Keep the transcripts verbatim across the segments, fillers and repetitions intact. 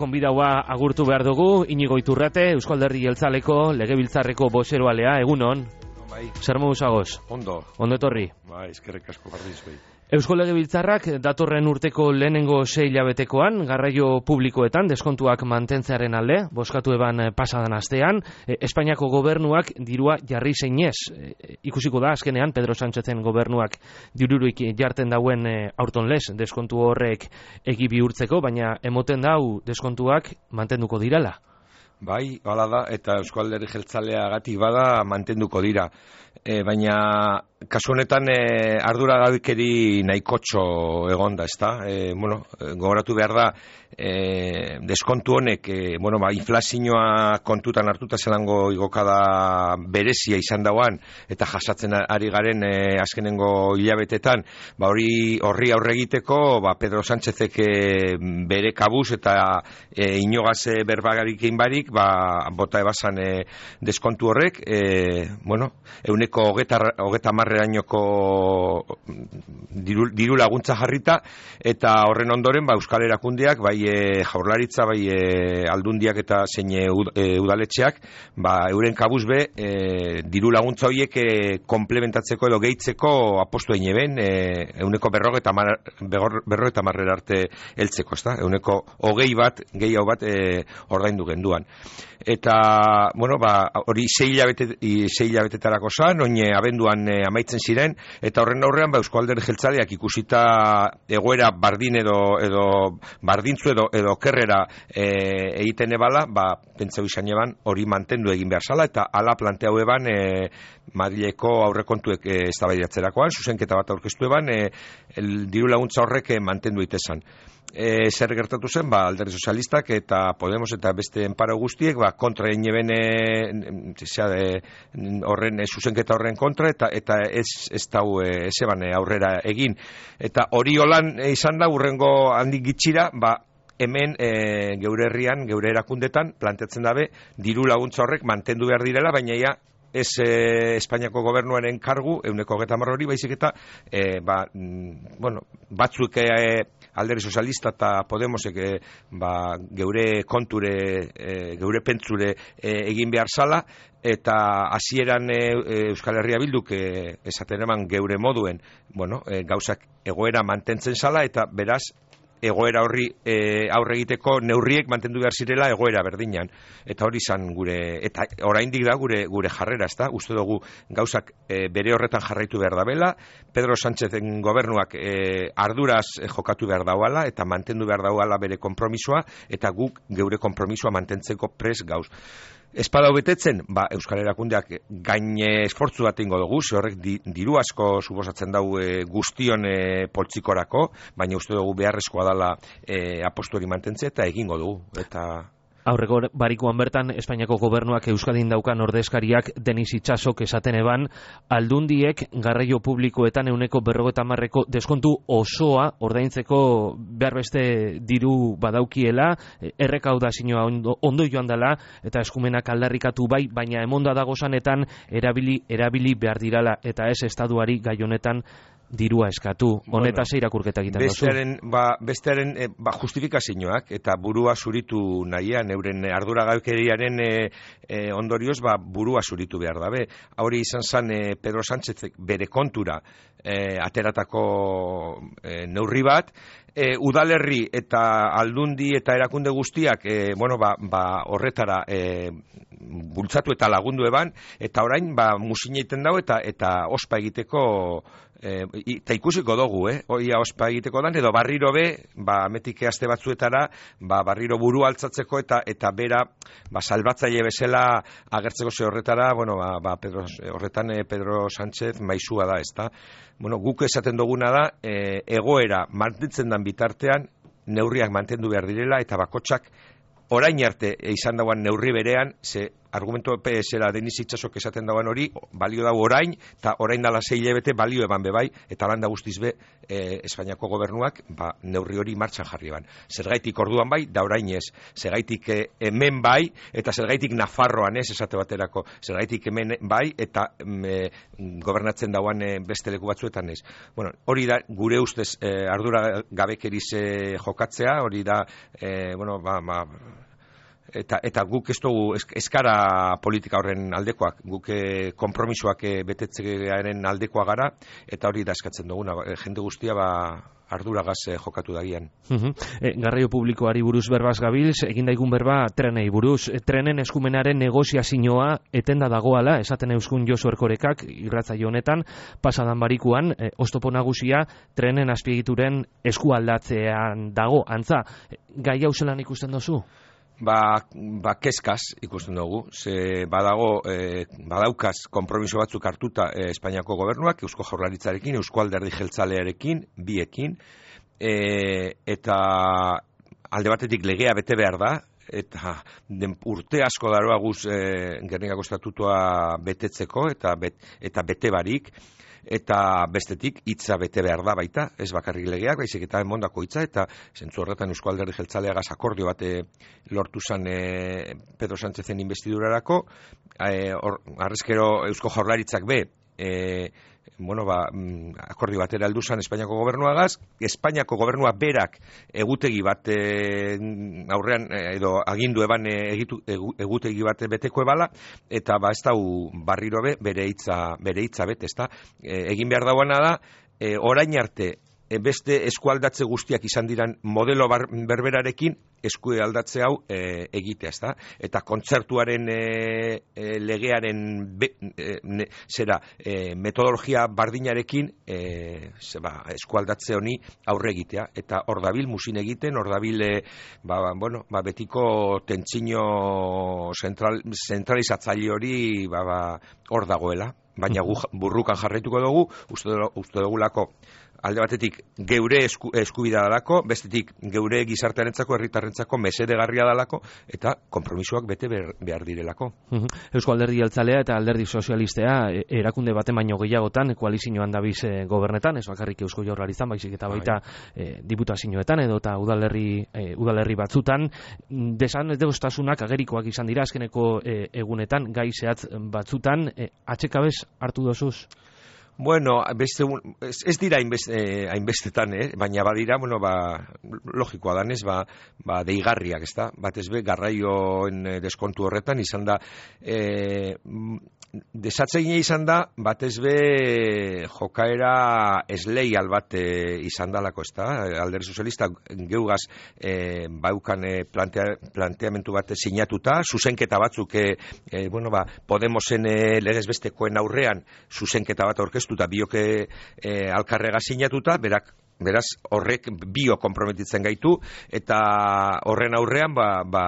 Konbidaua agurtu behar dugu, Inigo Iturrate, Eusko Alderdi Jeltzaleko, Legebiltzarreko bozeroalea, egunon. Bai. Zer moduz agoz? Ondo. Ondo etorri. Bai, eskerrik asko barriz bai. Eusko Legebiltzarrak datorren urteko lehenengo sei hilabetekoan garraio publikoetan deskontuak mantentzearen alde, bozkatu eban pasadan astean, e, Espainiako gobernuak dirua jarri zeinez. E, ikusiko da azkenean Pedro Sánchezen gobernuak diruruik jarten dauen e, aurton lez deskontu horrek egi bihurtzeko, baina emoten dau deskontuak mantenduko dirala. Bai, hala da, eta Eusko Alderdi Jeltzaleagatik bada mantenduko dira. E, baina kasu honetan e, ardura gabekeri nahikotxo egonda, ezta? E, bueno, gogoratu behar da e, deskontu honek, e, bueno, ba, inflazioa kontutan hartuta zelango igokada berezia izan dauan, eta jasatzen ari garen e, azkenengo hilabetetan, ba, hori horri aurre egiteko, ba, Pedro Sánchezek e, bere kabuz eta e, inogaz e, berbagarikin barik, ba, bota ebazan e, deskontu horrek, e, bueno, euneko hogeta marrerainoko diru, diru laguntza jarrita, eta horren ondoren, ba, Euskal Erakundeak, bai e, Jaurlaritza, bai e, Aldundiak eta zein e, udaletxeak, ba, euren kabuz be, e, diru laguntza horiek e, komplementatzeko edo gehitzeko apostu egin eben, e, euneko berrogeta mar, berrogeta marrera arte heltzeko, ezta? Euneko hogei bat, gehiago bat e, ordaindu genduan. Eta, bueno, ba, hori sei hilabete, sei hilabetetarako zan, oine abenduan e, amaitzen ziren, eta horren aurrean, ba, Eusko Alderdi Jeltzaleak ikusita egoera bardin edo, edo bardintzu edo, edo kerrera e, egiten ebala, ba, pentseu izan eban hori mantendu egin behar zala, eta ala planteau eban e, Madrileko aurrekontuek e, eztabaidatzerakoan, zuzenketa bat aurkeztu eban, e, el, diru laguntza horrek e, mantendu itesan. E, zer gertatu zen, ba, Alderdi Sozialistak eta Podemos eta beste enparo guztiek, ba, kontra egin eben horren, e, zuzenketa horren kontra, eta eta ez, ez dau e, ez eban aurrera egin. Eta hori holan e, izan da, urrengo handik gitxira, ba, hemen e, geure herrian, geure erakundetan, planteatzen dabe, diru laguntza horrek mantendu behar direla, baina ja, ez eh, Espainiako gobernuaren kargu, euneko hogeta hamar hori, baizik eta eh, ba, mm, bueno, batzuk eh, Alderdi Sozialista eta Podemosek eh, ba, geure konture, eh, geure pentsure eh, egin behar zala, eta hasieran eh, Euskal Herria Bilduk eh, esaten eman geure moduen, bueno, eh, gauzak egoera mantentzen zala, eta beraz, egoera horri e, aurre egiteko neurriek mantendu behar zirela egoera berdinan, eta hori izan gure, eta oraindik da gure gure jarrera, ezta? Uste dugu gauzak e, bere horretan jarraitu behar dabela, Pedro Sánchezen gobernuak e, arduraz e, jokatu behar dauala, eta mantendu behar dauala bere konpromisoa, eta guk geure konpromisoa mantentzeko pres gauz. Espada betetzen, ba, Euskal Erakundeak gain esfortzu bat ingo dugu, ze horrek di, diru asko suposatzen dau e, guztion e, poltsikorako, baina uste dugu beharrezkoa dela e, apostu hori mantentzea, eta egingo dugu. Eta aurreko barikoan bertan, Espainiako gobernuak Euskadin daukan ordezkariak Denis Itxasok esaten eban, aldundiek garraio publikoetan euneko berrogeta marreko deskontu osoa ordaintzeko behar beste diru badaukiela, errekaudazioa ondo, ondo joan dela, eta eskumenak aldarrikatu bai, baina emonda dagozanetan erabili, erabili behar dirala, eta ez estaduari gai honetan dirua eskatu. Honetaz bueno, irakurketa egiten dozu. Bestearen, ba, bestearen e, ba, justifikazioak eta burua zuritu nahian, euren arduragabekeriaren e, e, ondorioz, ba, burua zuritu behar dabe. Hori izan zen e, Pedro Sánchez bere kontura e, ateratako e, neurri bat, e, udalerri eta aldundi eta erakunde guztiak e, bueno, ba, ba, horretara e, bultzatu eta lagundu eban, eta orain ba, musina egiten dago eta, eta ospa egiteko E, eta ikusiko dugu, eh? Oia ospa egiteko dan, edo barriro be, ba, ametik aste batzuetara, ba, barriro buru altzatzeko eta eta bera, ba, salbatzaile bezala agertzeko ze horretara, bueno, ba, ba, Pedro, horretan eh, Pedro Sánchez maizua da, ezta? Bueno, guk esaten duguna da, eh, egoera mantentzen dan bitartean, neurriak mantendu behar direla, eta bakotsak orain arte izan dauan neurri berean, ze argumento zera Denis Itsasok esaten dagoen hori, balio dago orain, eta orain dala sei hilabete balio eban bebai, eta landa guztiz be, e, Espainiako gobernuak, ba, neurri hori martxan jarri ban. Zergaitik orduan bai, da orain ez. Zergaitik e, hemen bai, eta zergaitik Nafarroan ez, esate baterako. Zergaitik hemen bai, eta e, gobernatzen dauan e, beste leku batzuetan ez. Bueno, hori da, gure ustez, e, ardura gabekeriz e, jokatzea, hori da, e, bueno, ba, ba, Eta, eta guk ez dugu eskara politika horren aldekoak, guk eh, konpromisoak eh, betetzearen aldekoa gara, eta hori da eskatzen duguna, jende guztia ba, arduragaz eh, jokatu dagian. Uh-huh. E, garraio publikoari buruz berbaz gabilz, egin daigun berba trenei buruz, e, trenen eskumenaren negoziazioa etenda dagoala, esaten euskun Josu Erkorekak, irratzaio honetan, pasadan barikuan, e, oztopo nagusia trenen azpiegituren eskualdatzean dago, antza, gai hau zelan ikusten dozu? Ba, ba kezkaz ikusten dugu, ze badago, e, badaukaz konpromiso batzuk hartuta e, Espainiako gobernuak, Eusko Jaurlaritzarekin, Eusko Alderdi Jeltzalearekin, biekin, e, eta alde batetik legea bete behar da, eta den urte asko daroa guz e, Gernikako estatutua betetzeko, eta, bet, eta bete barik, eta bestetik hitza bete behar da baita, ez bakarrik legeak, baizik eta emondako hitza, eta zentzu horretan Eusko Alderdi Jeltzaleagaz akordio bate lortu zan e, Pedro Sánchezen investidurarako, e, arrezkero Eusko Jaurlaritzak be, e, bueno, ba, akordio batera heldu zan Espainiako gobernuagaz, Espainiako gobernua berak egutegi bat e, aurrean edo agindu eban egitu, egutegi bat beteko ebala, eta ba ez dau barriro be, bere hitza bere hitza bet, ezta? E, egin behar dauana da, e, orain arte e, beste eskualdatze guztiak izan diran modelo bar, berberarekin eskualdatze hau e, egitea, ezta? Eta kontzertuaren e, e, legearen be, e, ne, zera e, metodologia bardinarekin e, zeba, eskualdatze honi aurre egitea, eta hor dabil musin egiten, hor dabil e, ba, bueno, ba, betiko tentsino zentral, zentralizatzaile hori ba, ba, hor dagoela, baina gu, burrukan jarraituko dugu, uste, uste dugulako alde batetik geure esku, eskubida dalako, bestetik geure gizartearentzako, herritarrentzako mesedegarria dalako, eta konpromisoak bete behar direlako. Eusko Alderdi Jeltzalea eta Alderdi Sozialistea erakunde baten baino gehiagotan koalizioan dabiz e, gobernetan, ez bakarrik Eusko Jaurlaritzan, baizik eta baita e, diputazioetan edo eta udalerri, e, udalerri batzutan, desan degostasunak agerikoak izan dira azkeneko e, egunetan, gai zehatz batzutan, e, atxekabez hartu dozuz? Bueno, beste, ez, ez dira hainbeste, hainbestetan, eh? Baina badira, bueno, ba, logikoa danez, ba, ba, deigarriak, ez da? Batez be, garraioen deskontu horretan izan da, e, desatzeine izan da, batez be, jokaera esleial bat izan dalako, ez da? Alderdi Sozialista geugaz e, baukan e, plantea, planteamentu bat sinatuta, zuzenketa batzuk, e, e, bueno, ba, Podemosen e, legez bestekoen aurrean zuzenketa bat aurkeztu, eta bioke e, alkarrega sinatuta, berak, beraz horrek bio konprometitzen gaitu, eta horren aurrean ba, ba,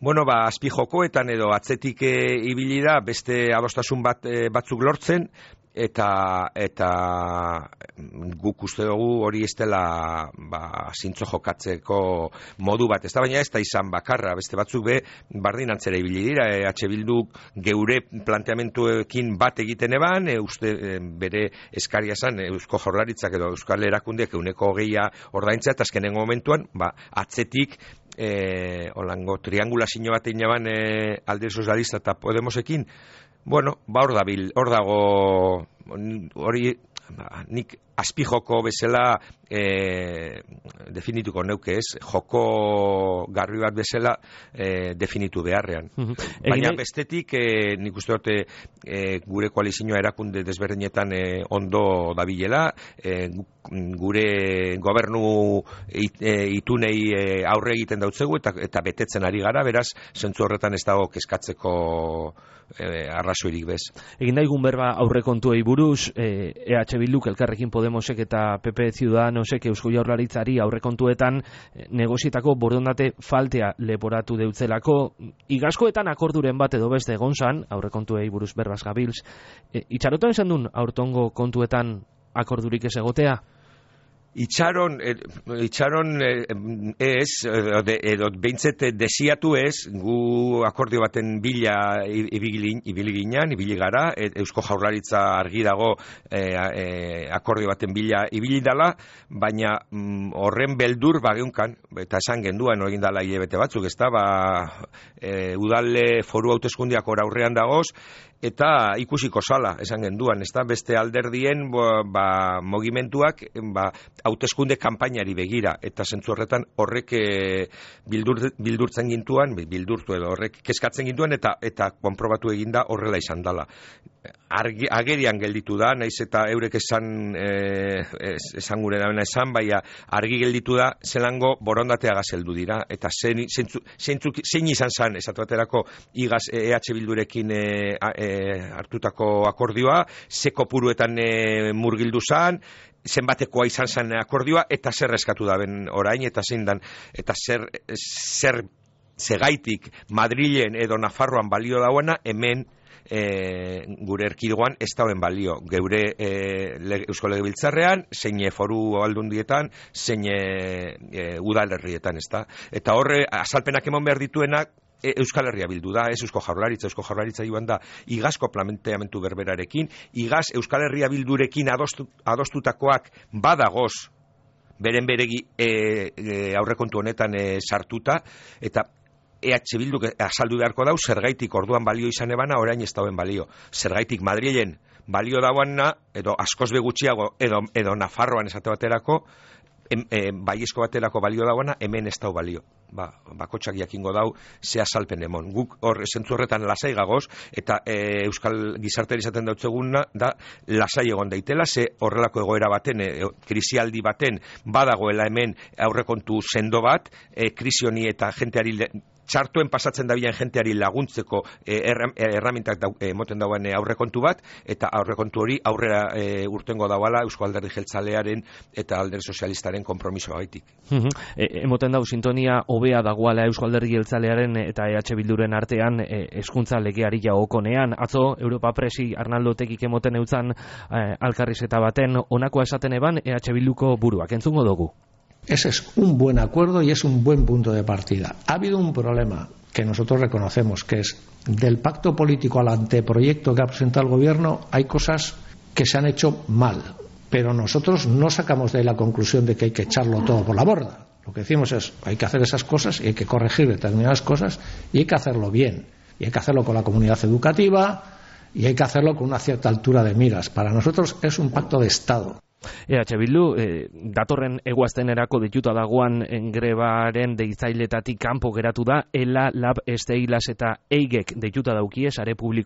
bueno, ba, azpijokoetan edo atzetik e, ibili da beste adostasun bat, e, batzuk lortzen, eta eta guk uste dugu hori ez dela ba, zintzo jokatzeko modu bat, ez da, baina ez da izan bakarra, beste batzuk be bardin antzera ibili dira, e, H Bilduk geure planteamentuekin bat egiten eban, e, uste e, bere eskaria zan, e, Eusko Jaurlaritzak edo Euskal Erakundeak euneko hogeia ordaintzea, eta azkenengo momentuan, ba, atzetik e, olango triangulazio bat egin eban e, Alderdi Sozialista eta Podemosekin. Bueno, ba hor dabil, hor dago hori ba, nik azpijoko bezala e, definituko neuke ez, joko garbi bat bezala e, definitu beharrean. Uh-huh. Baina Egine... bestetik e, nik uste dute e, gure koalizioa erakunde desberdinetan e, ondo dabilela, e, gure gobernu it, e, itunei e, aurre egiten dautzegu eta, eta betetzen ari gara, beraz, zentzu horretan ez dago kezkatzeko e, arrazoirik bez. Egin daigun berba aurrekontuei buruz, e, EH Bilduk, Elkarrekin Podemosek eta P P Ciudadanosek Eusko Jaurlaritzari aurrekontuetan negozietako borondate faltea leporatu deutzelako, igazkoetan akorduren bat edo beste egon zan, aurrekontuei buruz berbaz gabilz, e, itxarotan esan duen aurtongo kontuetan akordurik ez egotea? Itxaron, itxaron ez, edo behintzet desiatu ez, gu akordio baten bila ibili ginen, ibili gara, Eusko Jaurlaritza argi dago e, e, akordio baten bila ibili dala, baina mm, horren beldur bageunkan, eta esan genduan egin dala hilabete batzuk, ez da, ba, e, udale foru hauteskundiak ora aurrean dagoz, eta ikusiko sala, esan genduan, ez da, beste alderdien ba, mogimentuak ba, hauteskunde kanpainari begira, eta zentzu horretan horrek e, bildur, bildurtzen gintuan, bildurtu edo horrek keskatzen gintuan, eta eta konprobatu eginda horrela izan dala. Argi, agerian gelditu da, naiz eta eurek esan e, esan gure dabena esan, baina argi gelditu da zelango borondateaga zeldu dira, eta zein, zeintzuk, zein izan zan, esatu baterako igaz E H Bildurekin e, e, hartutako akordioa, ze kopuruetan e, murgildu zan, zenbatekoa izan zen akordioa, eta zer eskatu da ben orain, eta zein dan, eta zer, zer zegaitik Madrilen edo Nafarroan balio dauena, hemen E, gure erkidegoan ez dauen balio, geure e, le, Eusko Legebiltzarrean, zein foru aldundietan, zein e, e, udalerrietan, ez da. Eta horre, azalpenak eman behar dituenak, e, Euskal Herria bildu da, ez Eusko Jaurlaritza, Eusko Jaurlaritza joan da, igazko planteamentu berberarekin, igaz Euskal Herria bildurekin adostu, adostutakoak badagoz, beren beregi e, e, aurrekontu honetan e, sartuta, eta E H Bilduk azaldu beharko dau, zergaitik orduan balio izan ebana, orain ez dauen balio. Zergaitik Madrilen balio dauana, edo askoz begutxiago, edo, edo Nafarroan esate baterako, em, e, baiezko baterako balio dauana, hemen ez dau balio. Ba, bakotxak jakingo dau, ze azalpen emon. Guk hor zentzu horretan lasai gagoz, eta e, Euskal gizarteri izaten dautzeguna, da lasai egon daitela, ze horrelako egoera baten, e, krisialdi baten, badagoela hemen aurrekontu sendo bat, e, krisi honi eta jenteari txartuen pasatzen dabilen jenteari laguntzeko eh, erramintak eh, moten dauen eh, aurrekontu bat, eta aurrekontu hori aurrera eh, urtengo dauala Eusko Alderdi Jeltzalearen eta Alderdi Sozialistaren konpromiso gaitik. e, emoten dau sintonia hobea dagoala Eusko Alderdi Jeltzalearen eta E H Bilduren artean e, hezkuntza legeari jagokonean. Atzo Europa Presi Arnaldo Otegik emoten eutzan eh, alkarrizeta baten honakoa esaten eban E H Bilduko buruak. Entzungo dugu. Ese es un buen acuerdo y es un buen punto de partida. Ha habido un problema que nosotros reconocemos, que es del pacto político al anteproyecto que ha presentado el gobierno, hay cosas que se han hecho mal, pero nosotros no sacamos de ahí la conclusión de que hay que echarlo todo por la borda. Lo que decimos es, hay que hacer esas cosas y hay que corregir determinadas cosas y hay que hacerlo bien, y hay que hacerlo con la comunidad educativa y hay que hacerlo con una cierta altura de miras. Para nosotros es un pacto de Estado. E H Bildu, eh, datorren eguaztenerako dituta dagoan grebaren deitzailetatik kanpo geratu da, Ela, Lab, Esteilas eta Eigek dituta daukie, sare publiko